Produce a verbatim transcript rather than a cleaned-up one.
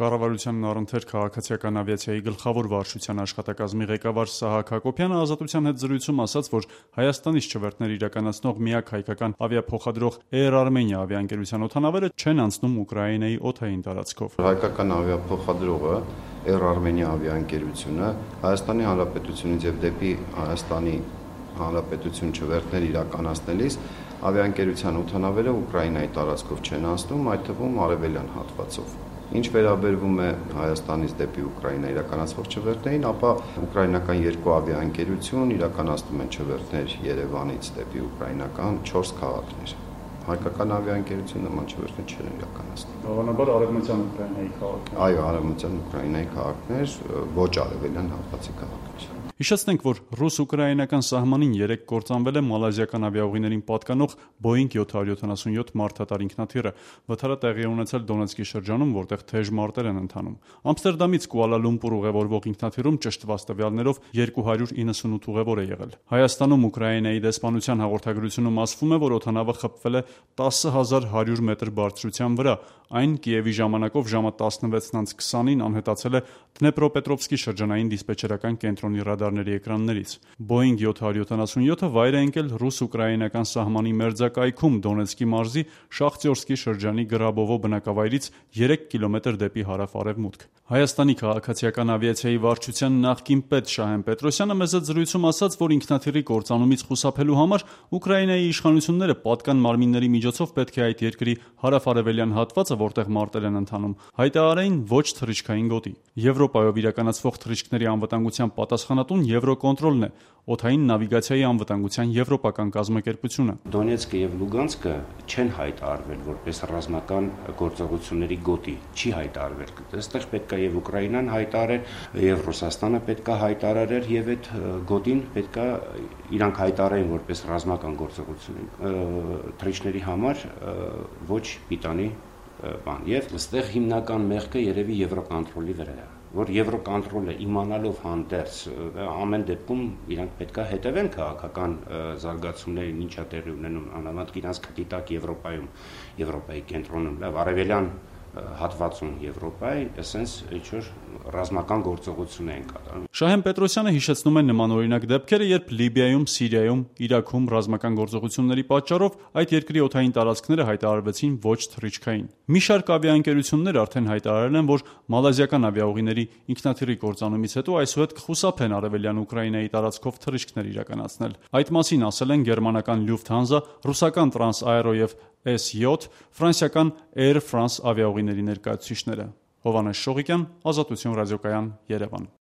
Կառավարությանն առընթեր քաղաքացիական ավիացիայի գլխավոր վարչության աշխատակազմի ղեկավար Սահակ Հակոբյանը «Ազատության» հետ զրույցում ասաց, որ Հայաստանից չվերթներ իրականացնող միակ հայկական ավիափոխադրող Air Armenia ավիաընկերության օդանավերը չեն անցնում Ուկրաինայի օդային տարածքով։ Հայկական ավիափոխադրողը Air Armenia ավիաընկերությունը Հայաստանի Հանրապետությունից եւ դեպի Հայաստանի Հանրապետություն չվերթներ իրականացնելիս ավիաընկերության օդանավերը Ուկրաինայի տարածքով չեն անցնում, այդ թվում արևելյան հատվածով։ Ինչ վերաբերվում է Հայաստանից դեպի Ուկրաինա իրականացվող չվերթներին, ապա ուկրաինական երկու ավիաընկերություն իրականացնում են չվերթներ Երևանից դեպի ուկրաինական չորս քաղաքներ։ Հայկական ավիաընկերությունը նման չվերթներ չեն իրականացնում։ Հավանաբար արևմտյան Ուկրաինայի քաղաքներ։ Այո, արևմտյան Ուկրաինայի քաղաքներ, ոչ արևելյան հատվածի քաղաքներ։ Հիշեցնենք, որ ռուս-ուկրաինական սահմանին երեկ կործանվել է մալազիական ավիաուղիներին պատկանող Boeing seven seventy-seven մարդատար ինքնաթիռը։ Վթարը տեղի է ունեցել Դոնեցկի շրջանում, որտեղ թեժ մարտեր են ընթանում։ Ամստերդամից Կուալա Լումպուր ուղևորվող ինքնաթիռում ճշտված տվյալներով two hundred ninety-eight ուղևոր է եղել։ Հայաստանում Ուկրաինայի դեսպանության հաղորդագրությունում ասվում է, որ օդանավը խփվել է ten thousand one hundred մետր բարձրության վրա։ Այն Կիևի ժամանակով ժամը eleven twenty-ին անհետացել է Դնեպրոպետրովսկի շրջանային դիսպեչերական կենտրոնի ռադարների էկրաններից։ Boeing seven seventy-seven-ը վայր է ընկել ռուս-ուկրաինական սահմանի մերձակայքում Դոնեցկի մարզի Շախտյորսկի շրջանի Գրաբովո բնակավայրից three կիլոմետր դեպի հարավ-արևմուտք։ Հայաստանի քաղաքացիական ավիացիայի վարչության նախկին պետ Շահեն Պետրոսյանը մեծ զրույցում ասաց, որ ինքնաթիռի կործանումից խուսափելու համար Ուկրաինայի իշխանությունները պատկան մարմինների միջոցով պետք է այդ երկրի հարավ-արևելյան հատվածը, որտեղ մարտեր են ընթանում, հայտարարեին ոչ թռիչքային գոտի։ Եվրոպայով իրականացվող թռիչքների անվտանգության պատասխանատուն Եվրոկոնտրոլն է, օդային նավիգացիայի անվտանգության եվրոպական կազմակերպությունը։ Դոնեցկը եւ Լուգանսկը չեն հայտարարվել որպես ռազմական գործողությունների գոտի, չի հայտարարվել։ Այստեղ պետք է եւ Ուկրաինան հայտարարեր, եւ Ռուսաստանը պետք է հայտարարեր, եւ այդ գոտին պետք է իրանք հայտարարեն որպես ռազմական գործողություն թռիչքների համար ոչ պիտանի բան։ Եվ այստեղ հիմնական մեղքը երևի Եվրոկոնտրոլի վրա է, որ Եվրոկոնտրոլը իմանալով հանդերձ ամեն դեպքում իրանք պետք է հետևեն քաղաքական զարգացումներին, ինչա տեղի ունենում անհամեմատ իրանք քտիտակ Եվրոպայում, Եվրոպայի կենտրոնում, լավ արևելյան հատվածում Եվրոպայի, այսպես ինչ-որ ռազմական գործողություն են կատարում։ Շահեն Պետրոսյանը հիշեցնում է նմանօրինակ դեպքերը, երբ Լիբիայում, Սիրիայում, Իրաքում ռազմական գործողությունների պատճառով այդ երկրի օդային տարածքները հայտարարվեցին ոչ թռիչքային։ Մի շարք ավիաընկերություններ արդեն հայտարարել են, որ մալազիական ավիաուղիների ինքնաթիռի կործանումից հետո այսուհետ կխուսափեն արևելյան Ուկրաինայի տարածքով թռիչքներ իրականացնել։ Այդ մասին ասել են գերմանական Lufthansa, ռուսական Transaero եւ S seven, ֆրանսիական Air France ավիաուղիների ներկայացուցիչները։ Հովհաննես Շողիկյան, Ազատություն ռադիոկայան, Երևան։